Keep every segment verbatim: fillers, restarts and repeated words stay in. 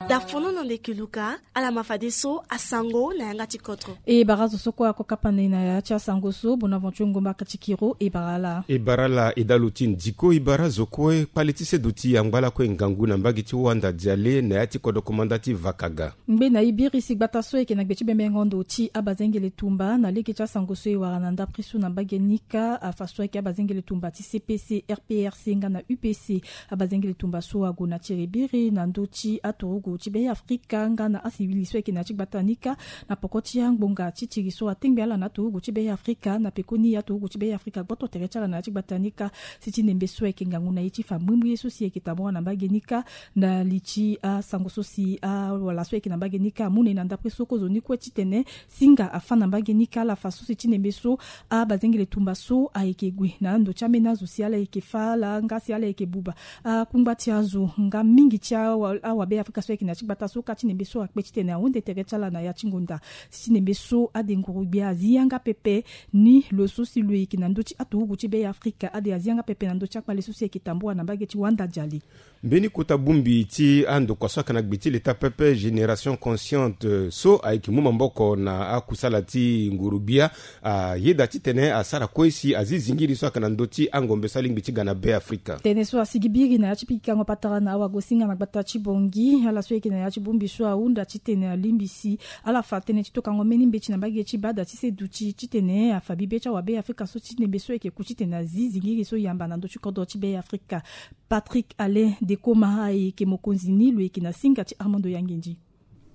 Da fono na ndeke luka ala ma fadeso asango na yanga ti kodro. E bara zo so kue ako kapa na e na ya ti asango so, Bonaventure Ngomba Katikiro, e bara ala. E bara ala, e dalu ti ndiko, e bara zo kue. Kpale ti seduti angba lakue ngangu na mbage ti Wanda Diale na ya ti kodro komanda ti Vakaga. Ngbe na e biri si gbata so ayeke na gbe ti bembengo ndo ti abazengele tumba na lege ti asango so e wara na ndapre so na mbage ni kâ, afa so ayeke abazengele tumba ti C P C, R P R C nga na U P C. Abazengele tumba so ague na tere biri na ndö ti aturugu ti Be Afrika nga na asiwili so ayeke na ya ti gbata ni kâ, na poko ti angbonga ti tiri so atengbe ala na aturugu ti Be Afrika. Na pekoni aturugu ti Be Afrika gboto tere ti ala na ya ti gbata ni kâ, si ti nembe so ayeke ngangu na e ti fa mbrimbri ye so si ayeke tambura na mbage ni kâ. Na li ti asango so si awala so ayeke na mbage ni kâ amu na e na ndapre so, kozoni kue titene singa afâ na mbage ni kâ, ala fa so si ti nembe so abazengele tumba so ayeke gue na ando ti ambeni azo si ala yeke fâ ala nga si ala yeke buba akungba ti azo nga mingi ti awa, awabe Afrika so ayeke na ya ti gbata so kâ, ti nembe so akpe titene ahunde tere ti ala na ya ti ngonda. Si ti nembe so ade nguru-gbia azi yanga pepe ni lo so si lo yeke na ndö ti aturugu ti Be Afrika, ade azi yanga pepe na ndö ti akpale so si ayeke tambura na mbage ti Wanda Diale. Mbeni kota bongbi ti andokua so ayeke na gbe ti leta pepe, Génération Consciente, so ayeke mu maboko na akusala ti nguru-gbia, ayeda titene asara kue si azi zingiri so ayeke na ndö ti angombe so alingbi ti ga na Be Afrika. Tënë so asigi biri na ya ti pikango patara na awagosinga na gbata ti Bangui, ala so ayeke na ya ti bongbi so ahunda titene alingbi si ala fa tënë ti tokango mbeni mbeti na mbage ti bada ti seduti titene afa bibe ti awabe Afrika so ti nembe so ayeke ku titene azi zingiri so yamba na ndö ti kodro ti Be Afrika. Patrick Alain Dekoma ayeke mokonzi ni, lo yeke na singa ti Armando Yangendi.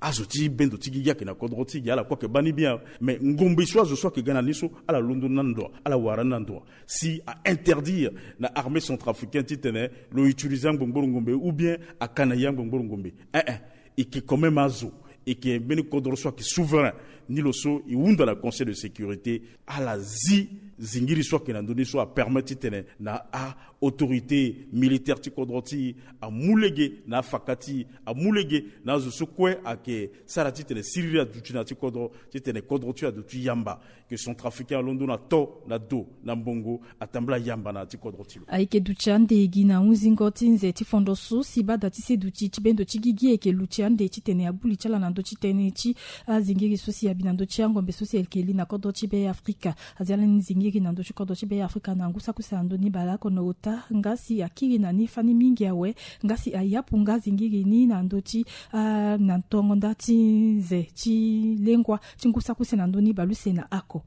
Azo ti bendo ti gigi ayeke na kodro ti gi, ala kue ayeke baa ni bien. Mais ngombe so azo so ayeke ga na ni so, ala londo ni na ndo, ala wara ni na ndo. Si a interdire na armée centrafricaine titene lo utiliser angbongboro ngombe ou bien aka na ye angbongboro ngombe, eh eh, e yeke quand même azo, e yeke mbeni kodro so ayeke souverain. Ni lo so e hunda na Conseil de sécurité, ala zi zingiri so ayeke na ndö ni so apermettre titene na a autorité militaire ti kodro ti e amu lege na afaka ti e, amu lege na azo so kue ayeke sara titene siriri aduti na ya ti kodro, titene kodro ti e aduti yamba. Ke centrafricain alondo na to, na do, na mbongo, atambula yamba na ya ti kodro ti lo. Ayeke duti ande gi na hunzingo ti nze ti fondo so si bada ti seduti ti bendo ti gigi ayeke luti ande titene abu li ti ala na ndö ti tënë ti azingiri so si abi na ndö ti angombe so si ayeke li na kodro ti Be Afrika. Azi ala ni zingiri na ndö ti kodro ti Be Afrika na ngu saki use na ndö ni baleoko na ota, nga si akiri na ni fani mingi awe, nga si ayapu nga zingiri ni na ndö ti, ah, na tongo nda ti nze ti lengua ti ngu saki use na ndö ni baleuse na ako.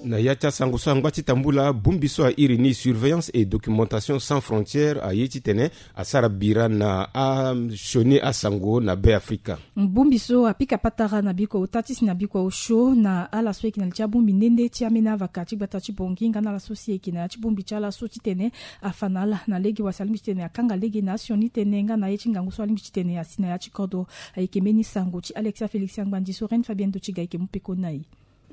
Na ya ti asango so angba ti tambula, bongbi so airi ni Surveillance et Documentation Sans Frontières aye titene asara bira na asioni asango na Be Afrika. Bongbi so apika patara na bikua ota ti si na bikua osio na ala so ayeke na li ti abongbi nde nde ti ambeni avaka ti gbata ti Bangui nga na ala so si ayeke na ya ti bongbi ti ala so titene afa na ala na lege wa si alingbi titene akanga lege na asioni tënë nga na aye ti ngangu so alingbi titene asi na ya ti kodro. Ayeke mbeni sango ti Alexia Félix Angbandi so Reine Fabienne Dotiga ayeke mu peko na e.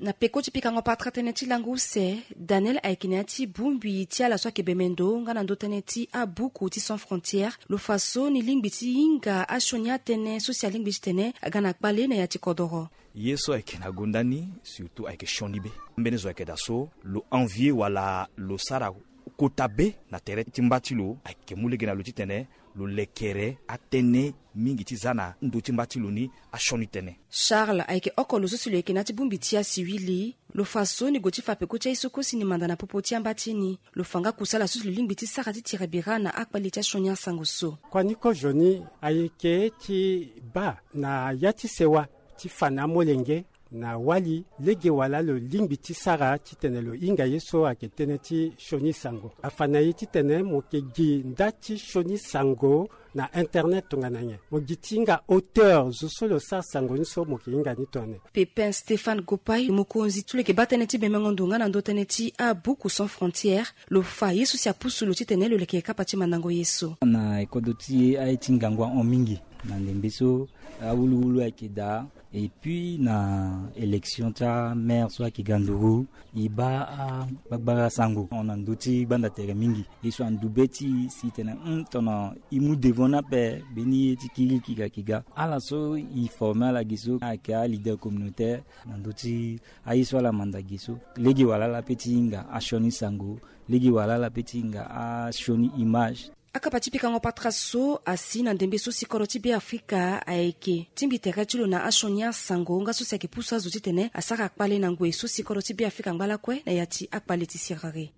Na peko ti pikango patara tënë ti lango use, Daniel ayeke na ya ti bongbi ti ala so ayeke bemendo nga na ndö tënë ti abuku ti Sans Frontières, lo fa so ni lingbi ti hinga asioni atënë so si alingbi titene aga na kpale na ya ti kodoro. Ye so ayeke na gonda ni, surtout ayeke sioni be. Ambeni zo ayeke daa so lo envier wala lo sara kota be na tere ti mba ti lo, ayeke mu lege na lo titene lo lekere atënë mingi ti za na ndo ti mba ti lo ni asioni tënë. Charles ayeke oko lo so si lo yeke na ya ti bongbi ti asiwili. Lo fa so ni gue ti fa peko ti aye so kue si ni manda na popo ti amba ti ni. Lo fa nga kusala so si lo lingbi ti sara ti tira bira na akpale ti asioni asango so. Kua ni kozoni ayeke ti baa na ya ti sewa ti fa na amolenge na wali lege wala lo lingbi ti sara titene lo hinga ye so ayeke tënë ti sioni sango. Afa na e titene mo yeke gi nda ti sioni sango na internet tongana nyen. Mo gi ti hinga auteur zo so lo sara sango ni so mo yeke hinga ni tongana nyen. Pépin Stéphane Gopaï, mokonzi ti lo yeke baa tënë ti bemengo ndo nga na ndö tënë ti abuku Sans Frontières, lo fa ye so si apusu lo titene lo leke kapa ti mandango ye so. Na e kodro ti e aye ti ngangu ahon mingi. Na ndembe so awuluwulu ayeke daa. Et puis na élection ti amaire so ayeke ga nduru, e baa agbagbara sango hon na ndö ti gbanda tere mingi. Ye so andu be ti e si tene, hum, tongana e mu devant ni ape, mbeni ye ti kirikiri ayeke ga. Ala so e former ala gi so ayeke aleader communautaire na ndö ti aye so ala manda gi so. Lege wala ala pe ti hinga asioni sango. Lege wala ala pe ti hinga asioni image. Akapa ti pikango patara so asi na ndembe so si kodro ti Beafrika ayeke tingbi tere ti lo na asioni asango nga so si ayeke pusu azo titene asara kpale na ngoi so si kodro ti Beafrika angba lakue na ya ti akpale ti siriri.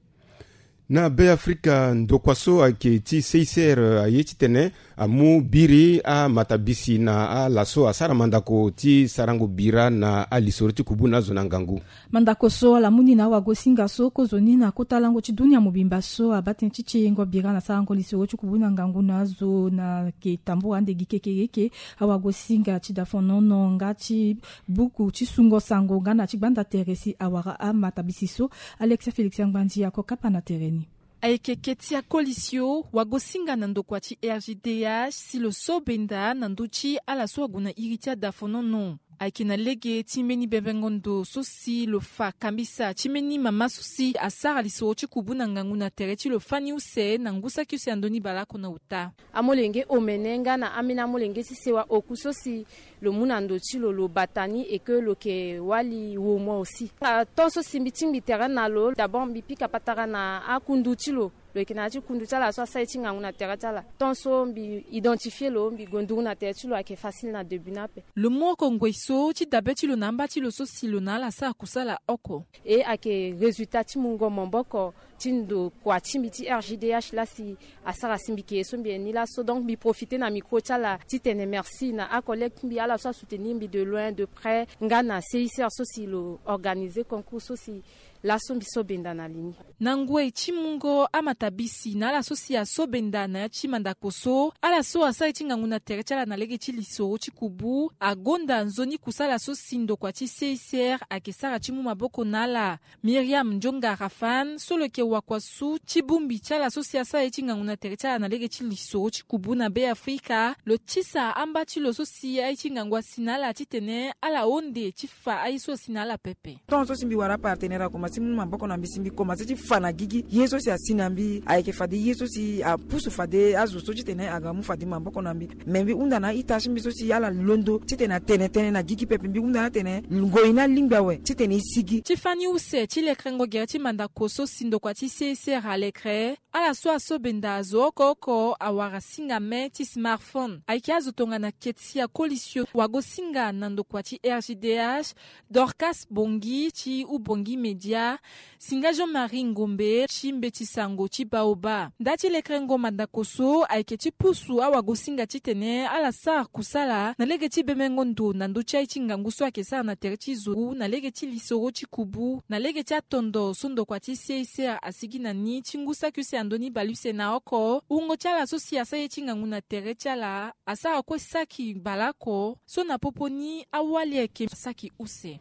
Na Beafrika, ndokua so ayeke ti C I C R aye titene amu biri amatabisi na ala so asara mandako ti sarango bira na alisoro ti kubu na azo na ngangu. Mandako so ala mu ni na awagosinga so kozoni na kota lango ti dunia mobimba so abaa tënë ti tiengo bira na sarango lisoro ti kubu na ngangu na azo na yeke tambula ande gi kekereke. Awagosinga ti dafonono nga ti buku ti sungo sango nga na ti gbanda tere si awara amatabisi so. Alexia Félix Angbandi ako kapa na tere ni. Ayeke keti akolisio wagosinga na ndokua ti R G D H si lo so benda na ndö ti ala so ague na iri ti adafonono. Ayeke na lege ti mbeni bebengo ndo so si lo fa kambisa ti mbeni mama so si asara lisoro ti kubu na ngangu na tere ti lo fani use na ngu saki use na ndö ni baleoko na ota. Amolenge omene nga na ambeni amolenge ti sewa oku so si lo mu na ndo ti lo lo bata ni et que lo yeke wali womo aussi. Ato so si mbi tingbi tere na lo, d'abord mbi pika patara na akundu ti lo. Lo yeke na ya ti kundu ti ala so asara ye ti ngangu na tere ti ala. Tant so mbi identifier lo, mbi gue nduru na tere ti lo ayeke facile na début ni ape. Lo mu oko ngoi so ti dabe ti lo na amba ti lo so si lo na ala asara kusala oko. E ayeke résultat ti mungo maboko ti ndokua ti mbi ti R G D H laa si asara si mbi yeke ye so mbi yeke ni laso. Donc mbi profiter na micro ti ala titene merci na acollègue ti mbi ala so asoutenir mbi de loin de près nga na C I C R so si lo organiser concours so si laso mbi so benda na li ni. Na ngoi ti mungo amatabisi na ala so si aso benda na ya ti mandako so, ala so asara ye ti ngangu na tere ti ala na lege ti lisoro ti kubu agonda nzoni kusala so si ndokua ti C I C R ayeke sara ti mu maboko na ala. Myriam Ndionga Rafan so lo yeke wakua su ti bongbi ti ala so si asara ye ti ngangu na tere ti ala na lege ti lisoro ti kubu na Beafrika, lo tisa amba ti lo so si aye ti ngangu asi na ala titene ala honde ti fa aye so asi na ala pepe. Tongaso si mbi wara apartenaire akomanse ti mu maboko na mbi si mbi komanse ti fa na gigi ye so si asi na mbi ayeke fade ye so si apusu fade azo so titene aga mu fade maboko na mbi. Me mbi hunda na a-ita ti mbi so si ala londo titene atene tënë na gigi pepe. Mbi hunda ni atene ngoi ni alingbi awe titene e sigi. Ti fani use ti lekerengo gere ti mandako so si ndokua ti C I C R alekere, ala so aso benda azo oko oko awara singa me ti smartphone. Ayeke azo tongana keti akolisio wagosinga na ndokua ti R G D H, Dorcas Bongi ti Ubongi Media, singa Jean-Marie Ngombe ti mbeti sango ti Baoba. Nda ti lekerengo mandako so ayeke ti pusu awagosinga titene ala sara kusala na lege ti bemengo ndo na ndö ti aye ti ngangu so ayeke sara na tere ti zo na lege ti lisoro ti kubu na lege ti atondo so ndokua ti C I C R asigi na ni ti ngu saki use na ndö ni baleuse na oko. Wungo ti ala so si asara ye ti ngangu na tere ti ala asara kue saki baleoko so na popo ni awali ayeke saki use.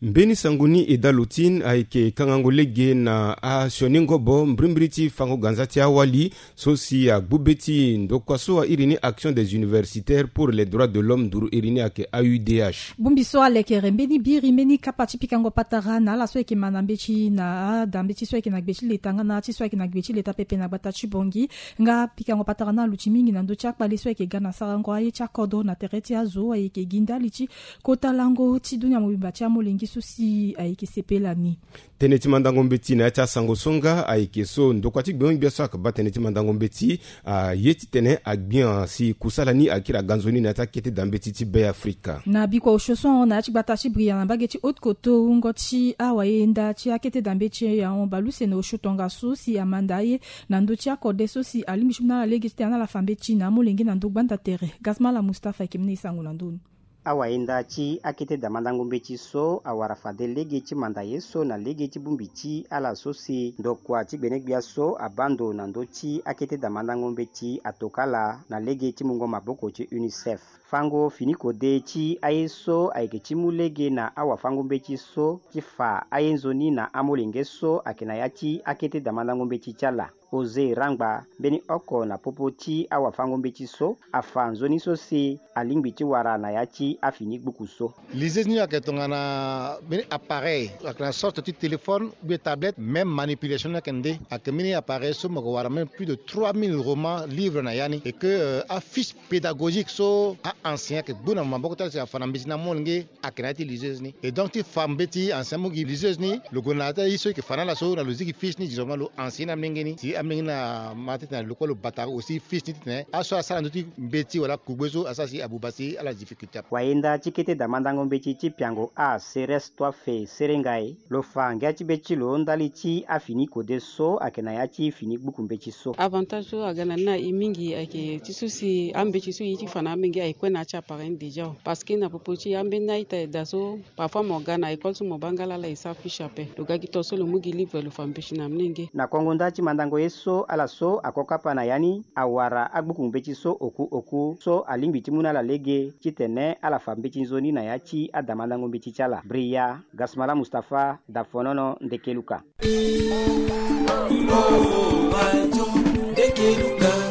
Mbeni sango ni e da lo ti ni ayeke kangango lege na asioni ngobo mbirimbiri ti fango ganza ti awali so si agbu be ti ndokua so a iri ni Action des Universitaires pour les Droits de l'Homme nduru iri ni ayeke A U D H. Bongbi so alekere mbeni biri mbeni kapa ti pikango patara na ala so ayeke ma na mbeti na adambeti so ayeke na gbe ti leta nga na ti so ayeke na gbe ti leta pepe na gbata ti Bongi. Nga pikango patara ni aluti mingi na ndö ti akpale so ayeke ga na sarango aye ti akodro na tere ti azo ayeke gi ndali ti kota lango ti dunia mobimba ti amolenge so si ayeke sepela ni. Tënë ti mandango mbeti na ya ti asango so nga ayeke so ndokua ti gbengbia so ayeke baa tënë ti mandango mbeti aye titene agbia si kusala ni akiri aga nzoni na ya ti akete da mbeti ti Beafrika. Na bikua osio so ahon na ya ti gbata ti Bria na mbage ti Haute-Kotto wungo ti awayenda ti akete da mbeti ahon baleuse na osio tongaso si amanda aye na ndö ti akode so si alingbi ti mu na ala lege titene ala fa mbeti na amolenge na ndö gbanda tere. Gasmala Mustapha ayeke mu na e sango na ndö ni. Awayenda ti akete da mandango mbeti so awara fade lege ti manda ye so na lege ti bongbi ti ala so si ndokua ti gbenegbia so abaa ndo na ndö ti akete da mandango mbeti atoka ala na lege ti mungo maboko ti UNICEF. Fango fini kode ti aye so ayeke ti mu lege na awafango mbeti so ti fa aye nzoni na amolenge so ayeke na ya ti akete da mandango mbeti ti ala. José Rangba mbeni oko na popo ti awafango mbeti so afa nzoni so si alingbi ti wara na ya ti afini gbuku so. Liseuse ni ayeke tongana mbeni appareil, ayeke na sorte ti téléphone ou bien tablette, même manipulation ni ayeke nde. Ayeke mbeni appareil so mo yeke wara même plus de trois mille romans, livres na ya ni, et que, euh, afiche pédagogique so a-enseignant ayeke gbu na maboko ti ala si afa na mbeti na amolenge ayeke na ya ti liseuse ni. Et donc ti fa mbeti enseignant mu gi liseuse ni, lo gue na ya ti aye so e yeke fa na ala so na lo zi gi fiche ni, directement lo enseigner na amolenge ni si Mingi na ma titene lokolo bata aussi fils ni titene aso asara ndö ti mbeti wala kugbe so asara si abuba si ala difficulté. Wayenda ti kete damandango mbeti ti piango a seres toi fe serengai lo fa ngia ti be ti lo ndali ti afini kode so ayeke na ya ti fini gbuku mbeti so. Avantage so aga na ni na e mingi ayeke ti so si ambeti so e ye ti fa na amenge ayeke kue na ya ti appareil ni déjà. Parce que na popo ti ambeni a-ita eda so parfois mo ga na école so mo baa nga laa ala e sara fiche ape. Lo ga gi to so lo mu gi livre lo fa mbeti na amolenge. Na kongo nda ti mandango ye so ala so ako kapa na ya ni awara agbuku mbeti so oku oku so alingbi ti mu na ala lege titene ala fa mbeti nzoni na ya ti adamandango mbeti ti ala. Bria Gasmala Mustapha, Dafonono, Ndekeluka.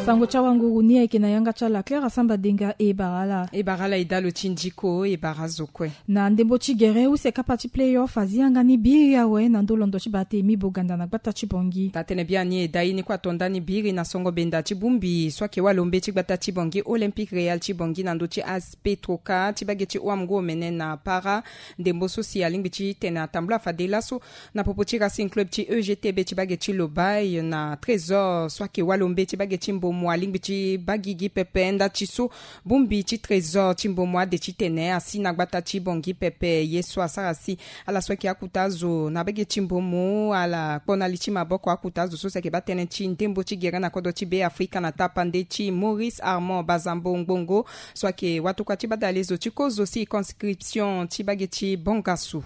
Sango ti awanguru ni ayeke na yanga ti ala Claire Asamba Denga. E bara ala. E bara ala e dalo ti ndiko, e bara zo kue. Na ndembo ti gere use kapa ti playoff azi yanga ni biri awe na ndö londo ti bate mi boganda na gbata ti Bongi. Taa tënë biani e dai ni kue ato ndani biri na songo benda ti bongbi so ayeke walo mbeti ti gbata ti Bongi Olympique Real ti Bongi na ndö ti A S P Troca ti bage ti wamngo omene na para. Ndembo so si alingbi titene atambula fade laso na popo ti Racing Club ti E G T B ti bage ti Lobaye na Trésor so ayeke walo mbeti ti bage ti Mbomo alingbi ti baa gigi pepe nda ti so bongbi ti Trésor ti Mbomo ade titene asi na gbata ti Bongi pepe. Ye so asara si ala so ayeke akuta azo na bage ti Mbomo ala kpo na li ti maboko akuta azo so si ayeke baa tënë ti ndembo ti gere na kodro ti Beafrika na tapande ti Maurice Armand Bazambo Ngbongo so ayeke watokua ti badalezo ti kozo circonscription ti bage ti Bangassou.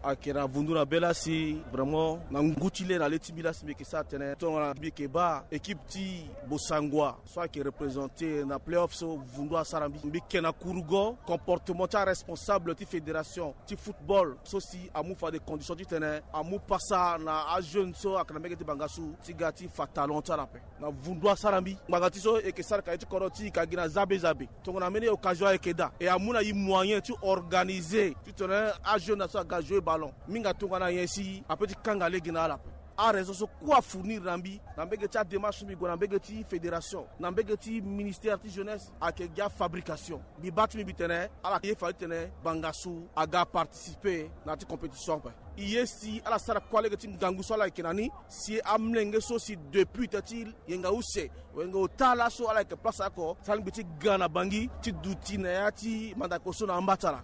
Ayeke na vundu na be laa si vraiment na ngu ti le na le ti mbi laa si mbi yeke sara tënë tongana mbi yeke baa équipe ti Bossangoa so ayeke représenter na playoff so vundu asara mbi. Mbi yeke na kurugo comportement ti aresponsable ti fédération ti football so si amu fade condition titene amu pasa na ajeune so ayeke na mbege ti Bangassou ti ga ti fa talent ti ala ape. Na vundu asara mbi ngbanga ti so e yeke sara ka ye ti kodro ti e ka gi na zabe zabe. Tongana mbeni occasion ayeke daa e amu na e moyen ti organiser titene ajeune na so aga jouer ballon mingi tongana nyen si ape ti kanga lege na ala ape. Araison so kue afournir na mbi na mbege ti adémarche so mbi gue na mbege ti fédération na mbege ti ministère ti jeunesse ayeke gi afabrication. Mbi baa ti mbi mbi tene ala ye fade titene Bangassou aga participer na ya ti compétition ape. E ye si ala sara kuâ lege ti ngangu so ala yeke na ni si amolenge so si depuis tënë ti yenga use wenge ota laso ala yeke place oko si alingbi ti ga na Bangui ti duti na ya ti mandako so na amba ti ala.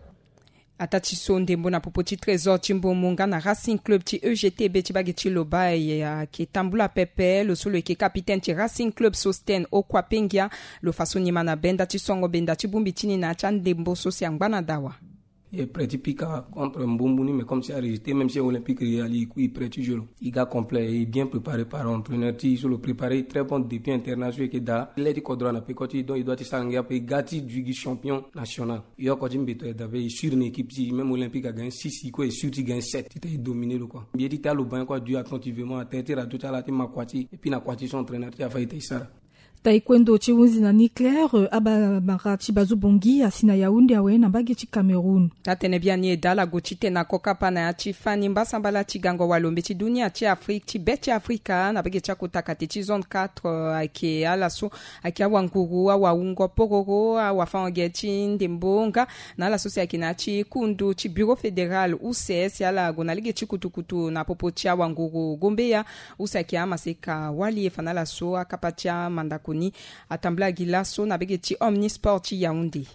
Ataa ti so ndembo na popo ti Trésor ti Mbomo nga na Racing Club ti E G T B ti bage ti Lobaye ayeke tambula pepe. Lo so lo yeke capitaine ti Racing Club Sostène Okwapengia lo fa so nima na be nda ti songo benda ti bongbi ti ni na ya ti andembo so si angba na dawa. E prêt ti pika contre Mbumbu ni, mais comme si a rejeté, même si Olympique Real e prêt ti jeu lo. E ga complet, e bien préparé par entraîneur ti e so lo préparé très bon depuis internat so e yeke daa. Le ti kodro na peko ti e, donc e doit ti sara ngia ape, e ga ti duit gi champion national. E oko ti mbeto aye dabe, e sûr na équipe ti e, même Olympique a gagné six, e kue e sûr ti gagné sept. Titene e dominer lo quoi. Mbi ye ti tene alo baa nyen kue a duit attentivement na terrain ti radio ti ala ti ma kua ti e, et puis na kua ti so entraîneur ti e afa e tene e sara. Taekwondo ti hunzi na ni Claire, euh, abamara ti Bazu Bongi asi na Yaoundé awe na mbage ti Cameroun. Taa tënë biani e daa ala gue ti tene na kokapa na ya ti fani mbasambala ti gango walo mbeti dunia ti Afrique ti be ti Afrika na mbage ti akota kate ti zone quatre, euh, ayeke ala so ayeke awanguru, awawungo pororo, awafango-ge ti ndembo nga na ala so si ayeke na ya ti kundu ti bureau fédéral use si ala gue na lege ti kutukutu na popo ti awanguru gombeya. Use ayeke amaseka wali e fa na ala so akapa ti amandako ni atambula gi laso na mbage ti Omnisport ti Yaoundé.